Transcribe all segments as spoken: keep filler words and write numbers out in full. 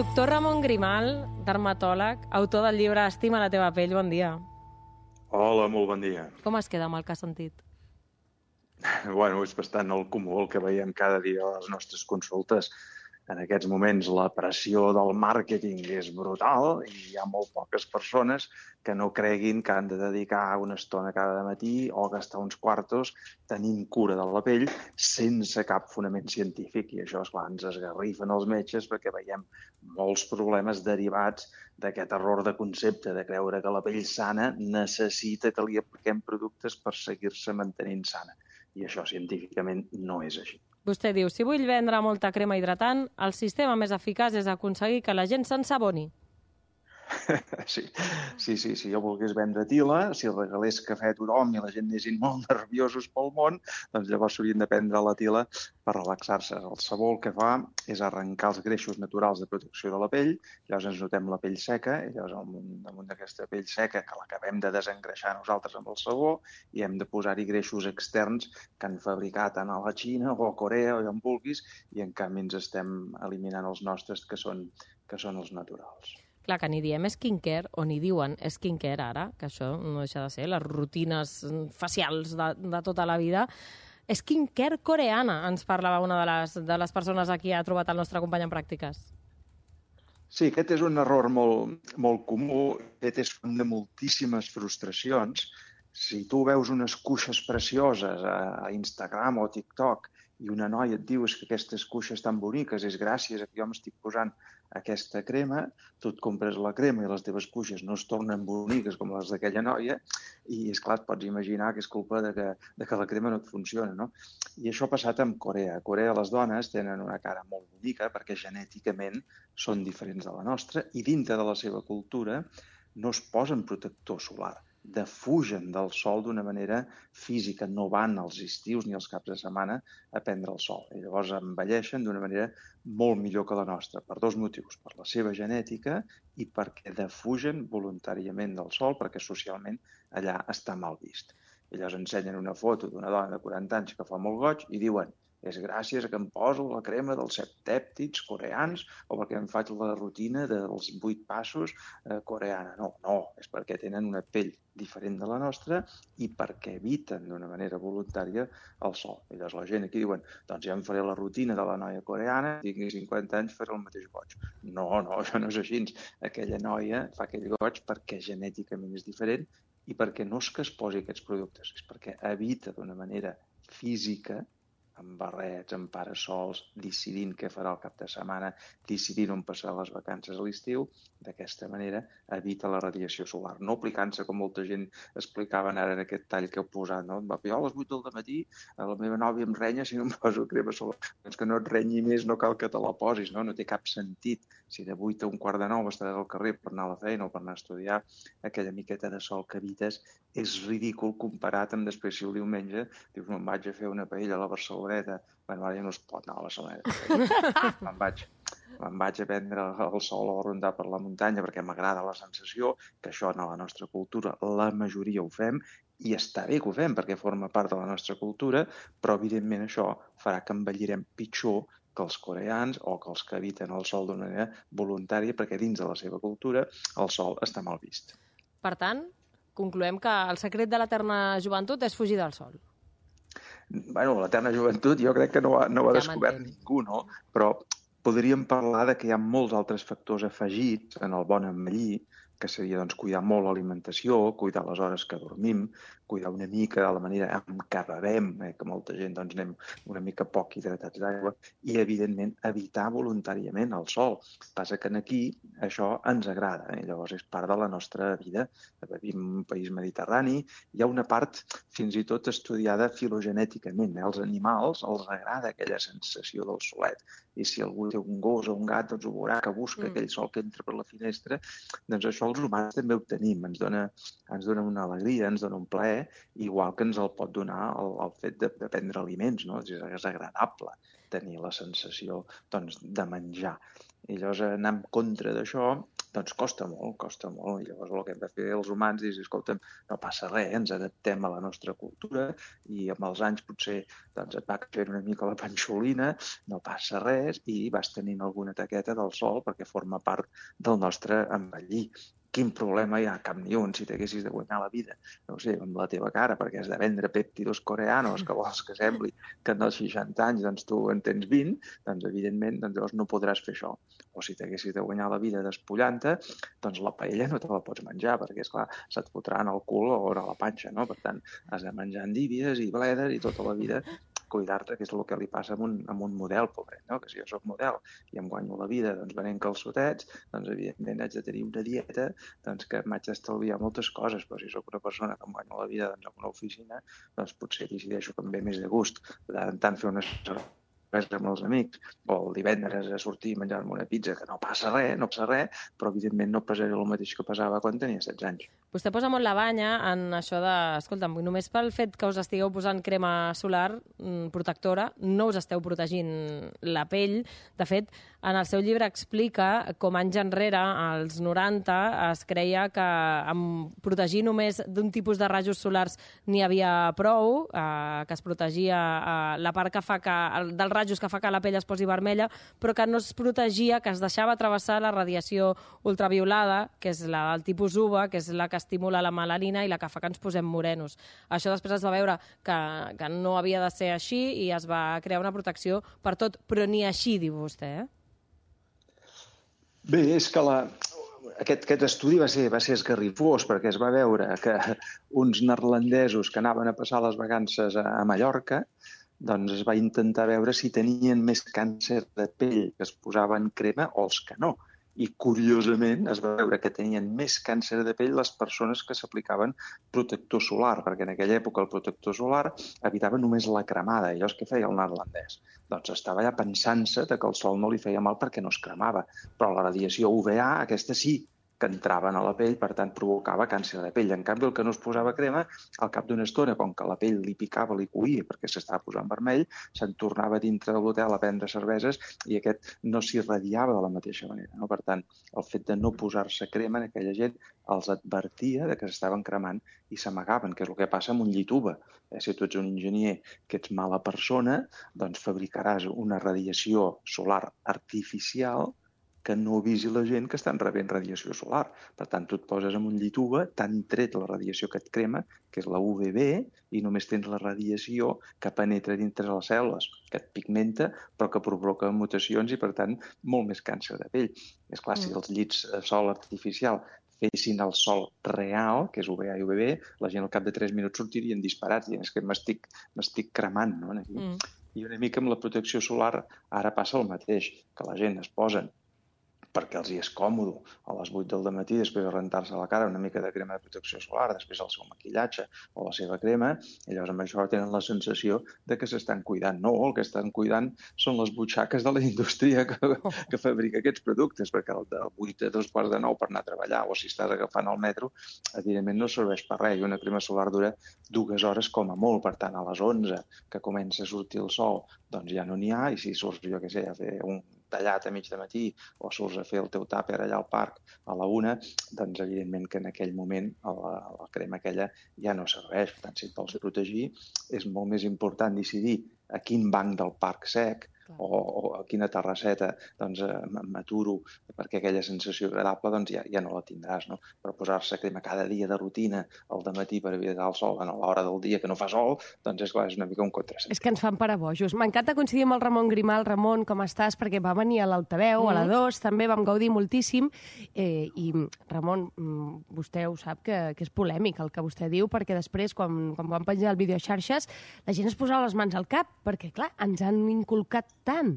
Doctor Ramon Grimal, dermatòleg, autor del llibre Estima la teva pell, bon dia. Hola, molt bon dia. Com es queda amb el que has sentit? Bueno, és bastant el comú el que veiem cada dia a les nostres consultes. En aquests moments la pressió del màrqueting és brutal i hi ha molt poques persones que no creguin que han de dedicar una estona cada matí o gastar uns quartos tenint cura de la pell sense cap fonament científic. I això, esclar, ens esgarrifen els metges perquè veiem molts problemes derivats d'aquest error de concepte de creure que la pell sana necessita que li apliquem productes per seguir-se mantenint sana. I això científicament no és així. Vostè diu, si vull vendre molta crema hidratant, el sistema més eficaç és aconseguir que la gent s'ensaboni. Sí, sí, sí, si jo volgués vendre tila, si regalés cafè a tothom i la gent anessin molt nerviosos pel món, doncs llavors s'haurien de prendre la tila per relaxar-se. El sabó el que fa és arrencar els greixos naturals de protecció de la pell, llavors ens notem la pell seca, i llavors damunt d'aquesta pell seca que l'acabem de desengreixar nosaltres amb el sabó i hem de posar-hi greixos externs que han fabricat tant a la Xina o a Corea o on vulguis i en canvi ens estem eliminant els nostres que són, que són els naturals. Clar, que ni diem skincare, o ni diuen skincare ara, que això no deixa de ser les rutines facials de, de tota la vida. Skincare coreana, ens parlava una de les, de les persones a qui ha trobat el nostre company en pràctiques. Sí, aquest és un error molt, molt comú, aquest és un de moltíssimes frustracions. Si tu veus unes cuixes precioses a Instagram o TikTok i una noia et diu que aquestes cuixes tan boniques és gràcies a que jo m'estic posant aquesta crema, tu et compres la crema i les teves cuixes no es tornen boniques com les d'aquella noia i, esclar, et pots imaginar que és culpa de que, de que la crema no et funciona, no? I això ha passat amb Corea. A Corea les dones tenen una cara molt bonica perquè genèticament són diferents de la nostra i dintre de la seva cultura no es posen protector solar, defugen del sol d'una manera física, no van als estius ni als caps de setmana a prendre el sol. I llavors envelleixen d'una manera molt millor que la nostra, per dos motius, per la seva genètica i perquè defugen voluntàriament del sol, perquè socialment allà està mal vist. I llavors ensenyen una foto d'una dona de quaranta anys que fa molt goig i diuen és gràcies a que em poso la crema dels set pèptids coreans o perquè em faig la rutina dels vuit passos eh, coreana. No, no, és perquè tenen una pell diferent de la nostra i perquè eviten d'una manera voluntària el sol. I llavors la gent aquí diuen, doncs ja em faré la rutina de la noia coreana, tingui cinquanta anys, faré el mateix goig. No, no, això no és així. Aquella noia fa aquell goig perquè genèticament és diferent i perquè no és que es posi aquests productes, és perquè evita d'una manera física amb barrets, amb parasols, decidint què farà el cap de setmana, decidint on passar les vacances a l'estiu, d'aquesta manera evita la radiació solar. No aplicant-se, com molta gent explicaven ara en aquest tall que heu posat, no? Jo a les vuit del matí la meva nòvia em renya si no em poso crema solar. Doncs que no et renyi més, no cal que te la posis, no? No té cap sentit. Si de vuit a un quart de nou estaràs al carrer per anar a la feina o per anar a estudiar, aquella miqueta de sol que evites és ridícul comparat amb després si el diumenge dius, me'n vaig a fer una paella a la Barceloneta. Bueno, ara ja no es pot anar a la Barceloneta. Me'n vaig, me'n vaig a prendre el sol o a rondar per la muntanya perquè m'agrada la sensació, que això en la nostra cultura la majoria ho fem, i està bé que ho fem perquè forma part de la nostra cultura, però evidentment això farà que envellirem pitjor que els coreans o que els que eviten el sol d'una manera voluntària perquè dins de la seva cultura el sol està mal vist. Per tant, concloem que el secret de l'eterna joventut és fugir del sol. Bueno, l'eterna joventut jo crec que no ho ha, no ho ha ja descobert ningú, no? Però podríem parlar de que hi ha molts altres factors afegits en el bon envellir, que seria doncs, cuidar molt l'alimentació, cuidar les hores que dormim, cuidar una mica de la manera en què bevem, eh, que molta gent doncs, anem una mica poc hidratats d'aigua, i, evidentment, evitar voluntàriament el sol. Passa que aquí això ens agrada, eh? Llavors és part de la nostra vida. Vivim en un país mediterrani, hi ha una part fins i tot estudiada filogenèticament. Eh? Els animals els agrada aquella sensació del solet, i si algú té un gos o un gat, doncs ho veurà que busca mm. aquell sol que entra per la finestra, doncs això els humans també ho tenim, ens dona, ens dona una alegria, ens dona un plaer, igual que ens el pot donar el, el fet de, de prendre aliments, no? És, és agradable tenir la sensació doncs, de menjar. I llavors anar en contra d'això doncs costa molt, costa molt. I llavors el que hem de fer els humans és, escolta'm, no passa res, ens adaptem a la nostra cultura i amb els anys potser doncs, et va caient una mica la panxolina, no passa res i vas tenint alguna taqueta del sol perquè forma part del nostre envellir. Quin problema hi ha? Cap ni un, si t'haguessis de guanyar la vida, no sé, amb la teva cara, perquè has de vendre pèptidos coreanos, que vols que sembli que en els seixanta anys doncs, tu en tens vint, doncs evidentment doncs, llavors no podràs fer això. O si t'haguessis de guanyar la vida despullant-te, doncs la paella no te la pots menjar, perquè, esclar, se't fotrà en el cul o a la panxa, no? Per tant, has de menjar endívies i bledes i tota la vida cuidar-te, que és el que li passa amb un, amb un model, pobret, no? Que si jo soc model i em guanyo la vida doncs, venent calçotets, doncs evidentment haig de tenir una dieta doncs, que m'haig d'estalviar moltes coses, però si sóc una persona que em guanyo la vida doncs, en una oficina, doncs potser decideixo que em ve més de gust de tant en tant fer una res amb els amics, o el divendres a sortir i menjar-me una pizza, que no passa res, no passa res, però evidentment no pesaré el mateix que pesava quan tenia setze anys. Vostè posa molt la banya en això de, escolta'm, només pel fet que us estigueu posant crema solar protectora, no us esteu protegint la pell. De fet, en el seu llibre explica com anys enrere, als noranta, es creia que amb protegir només d'un tipus de rajos solars n'hi havia prou, eh, que es protegia eh, la part que fa que, el, del rajos que fa que la pell es posi vermella, però que no es protegia, que es deixava travessar la radiació ultraviolada, que és la del tipus U V A, que és la que estimula la melanina i la que fa que ens posem morenos. Això després es va veure que, que no havia de ser així i es va crear una protecció per tot, però ni així, diu vostè, eh? Bé, és que la, aquest, aquest estudi va ser, va ser esgarrifós perquè es va veure que uns neerlandesos que anaven a passar les vacances a, a Mallorca doncs es va intentar veure si tenien més càncer de pell que es posaven crema o els que no. I, curiosament, es va veure que tenien més càncer de pell les persones que s'aplicaven protector solar, perquè en aquella època el protector solar evitava només la cremada. I llavors què feia el neerlandès? Doncs estava ja pensant-se que el sol no li feia mal perquè no es cremava. Però la radiació U V A, aquesta sí, que entraven a la pell, per tant, provocava càncer de pell. En canvi, el que no es posava crema, al cap d'una estona, com que la pell li picava, li coïa, perquè s'estava posant vermell, se'n tornava dintre de l'hotel a prendre cerveses i aquest no s'irradiava de la mateixa manera. No? Per tant, el fet de no posar-se crema en aquella gent els advertia de que s'estaven cremant i s'amagaven, que és el que passa amb un llit U V A. Eh, si tu ets un enginyer que ets mala persona, doncs fabricaràs una radiació solar artificial que no avisi la gent que estan rebent radiació solar. Per tant, tu et poses en un llit U V A, t'han tret la radiació que et crema, que és la U V B, i només tens la radiació que penetra dintre les cèl·lules, que et pigmenta, però que provoca mutacions i, per tant, molt més càncer de pell. És clar, si els llits de sol artificial fessin el sol real, que és U V A i U V B, la gent al cap de tres minuts sortirien disparats, dient que m'estic m'estic cremant, no? Aquí. Mm. I una mica amb la protecció solar ara passa el mateix, que la gent es posen perquè els hi és còmode a les vuit del matí després de rentar-se la cara una mica de crema de protecció solar, després el seu maquillatge o la seva crema, i llavors amb això tenen la sensació de que s'estan cuidant. No, el que estan cuidant són les butxaques de la indústria que, que fabrica aquests productes, perquè el de vuit a dos quarts de nou per anar a treballar o si estàs agafant el metro, evidentment no serveix per res. I una crema solar dura dues hores com a molt, per tant, a les onze que comença a sortir el sol, doncs ja no n'hi ha, i si surts, jo què sé, a fer un tallat a mig de matí o surts a fer el teu tàper allà al parc a la una, doncs evidentment que en aquell moment la, la crema aquella ja no serveix. Per tant, si et vols protegir, és molt més important decidir a quin banc del parc sec o, o a quina terrasseta doncs, m'aturo perquè aquella sensació agradable doncs, ja, ja no la tindràs. No? Però posar-se crema cada dia de rutina al dematí per evitar el sol, bueno, a l'hora del dia que no fa sol, doncs és, clar, és una mica un contrasentit. És que ens fan parabojos. M'encanta coincidir amb el Ramon Grimal. Ramon, com estàs? Perquè va venir a l'Altaveu, mm. a la dos, també vam gaudir moltíssim. Eh, I, Ramon, vostè ho sap que, que és polèmic el que vostè diu, perquè després, quan, quan vam penjar el vídeo a xarxes, la gent es posava les mans al cap, perquè, clar, ens han inculcat tant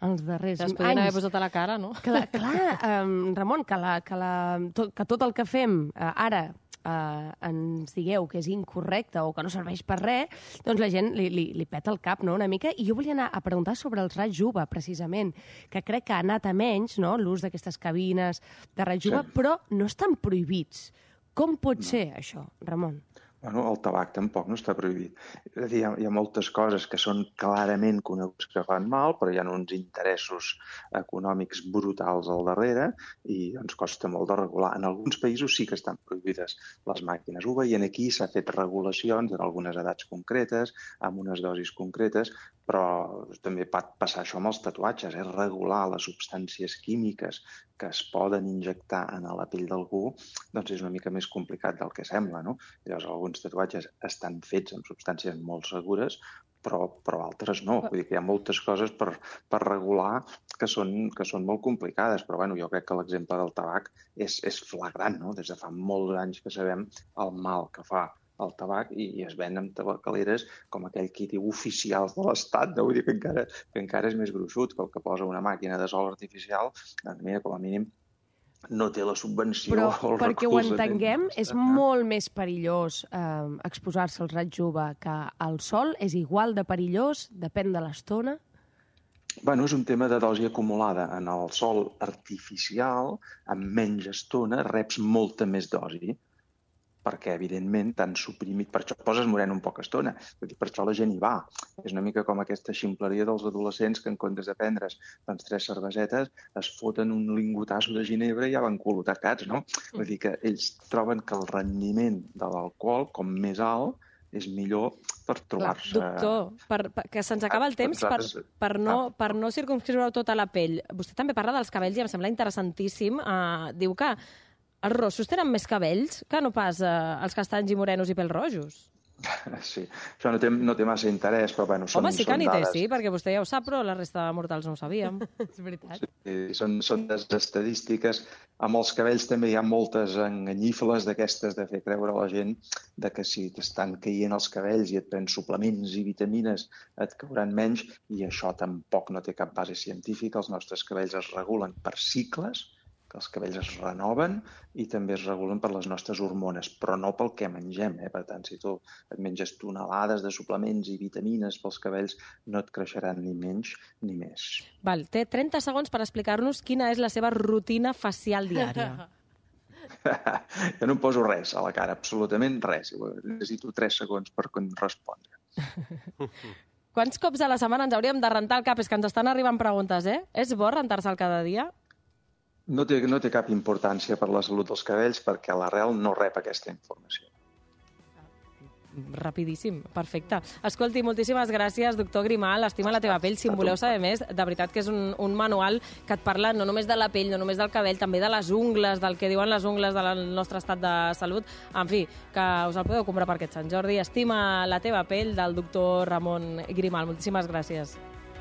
els darrers anys. Es podien haver posat a la cara, no? Que la, clar, um, Ramon, que, la, que, la, tot, que tot el que fem uh, ara uh, ens digueu que és incorrecte o que no serveix per res, doncs la gent li, li, li peta el cap, no?, una mica. I jo volia anar a preguntar sobre els raigs U V A, precisament, que crec que ha anat a menys, no?, l'ús d'aquestes cabines de raigs U V A, sí. Però no estan prohibits. Com pot no. ser això, Ramon? Bueno, el tabac tampoc no està prohibit. És a dir, hi ha, hi ha moltes coses que són clarament coneguts que fan mal, però hi ha uns interessos econòmics brutals al darrere i doncs costa molt de regular. En alguns països sí que estan prohibides les màquines. Ho veient aquí, s'ha fet regulacions en algunes edats concretes, amb unes dosis concretes, però també pot passar això amb els tatuatges, eh? Regular les substàncies químiques que es poden injectar en la pell d'algú, doncs és una mica més complicat del que sembla, no? Llavors, alguns tatuatges estan fets amb substàncies molt segures, però, però altres no. Vull dir que hi ha moltes coses per, per regular que són, que són molt complicades, però bueno, jo crec que l'exemple del tabac és, és flagrant, no? Des de fa molts anys que sabem el mal que fa el tabac i, i es venen tabacaleres com aquell qui diu oficials de l'Estat, no? Vull dir que encara, que encara és més gruixut que el que posa una màquina de sol artificial, doncs mira, com a mínim no té la subvenció Però, o el perquè ho recolzament. entenguem, és molt més perillós eh, exposar-se al raig U V que al sol, és igual de perillós, depèn de l'estona. Bueno, és un tema de dosi acumulada. En el sol artificial, amb menys estona, reps molta més dosi, perquè, evidentment, tan suprimit... Per això poses moreno en poca estona. Per això la gent hi va. És una mica com aquesta ximpleria dels adolescents que, en comptes de prendre's doncs, tres cervesetes, es foten un lingotasso de ginebra i ja van colotacats, no? Vull dir que ells troben que el rendiment de l'alcohol, com més alt, és millor per trobar-se... Doctor, per, per, que se'ns acaba el temps, per, per, no, per no circumscriure tota la pell. Vostè també parla dels cabells i em sembla interessantíssim. Uh, diu que els rossos tenen més cabells que no pas uh, els castanys i morenos i pèls rojos. Sí, això no té, no té massa interès, però bueno, són, Home, sí que són n'hi té, dades. sí, perquè vostè ja ho sap, però la resta de mortals no ho sabíem. És veritat. Sí, són, són des estadístiques. Amb els cabells també hi ha moltes enganyífoles d'aquestes de fer creure a la gent de que si t'estan caient els cabells i et prens suplements i vitamines et cauran menys, i això tampoc no té cap base científica. Els nostres cabells es regulen per cicles, que els cabells es renoven i també es regulen per les nostres hormones, però no pel que mengem. Eh? Per tant, si tu et menges tonelades de suplements i vitamines pels cabells, no et creixeran ni menys ni més. Val, té trenta segons per explicar-nos quina és la seva rutina facial diària. Jo no em poso res a la cara, absolutament res. Necessito tres segons per respondre. Quants cops a la setmana ens hauríem de rentar el cap? És que ens estan arribant preguntes, eh? És bo rentar-se'l cada dia? No té, no té cap importància per la salut dels cabells perquè l'arrel no rep aquesta informació. Rapidíssim, perfecte. Escolti, moltíssimes gràcies, doctor Grimal. Estima la teva pell. Si en voleu saber més, de veritat que és un, un manual que et parla no només de la pell, no només del cabell, també de les ungles, del que diuen les ungles del nostre estat de salut. En fi, que us el podeu comprar per aquest Sant Jordi. Estima la teva pell, del doctor Ramon Grimal. Moltíssimes gràcies.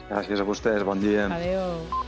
Gràcies a vostès, bon dia. Adéu.